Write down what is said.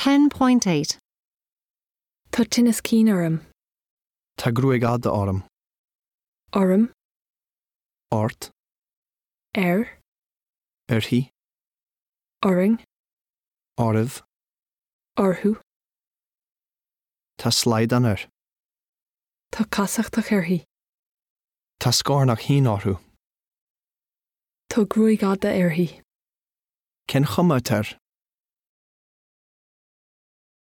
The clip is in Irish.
10.8. Tá tinneas cinn orm. Tá gruaig fhada orm. Orm. Ort. Air. Uirthi. Orainn. Oraibh. Orthu. Tá slaghdán air. Tá casachtach uirthi. Tá scornach thinn orthu. Tá gruaig fhada uirthi. Cén chuma atá air?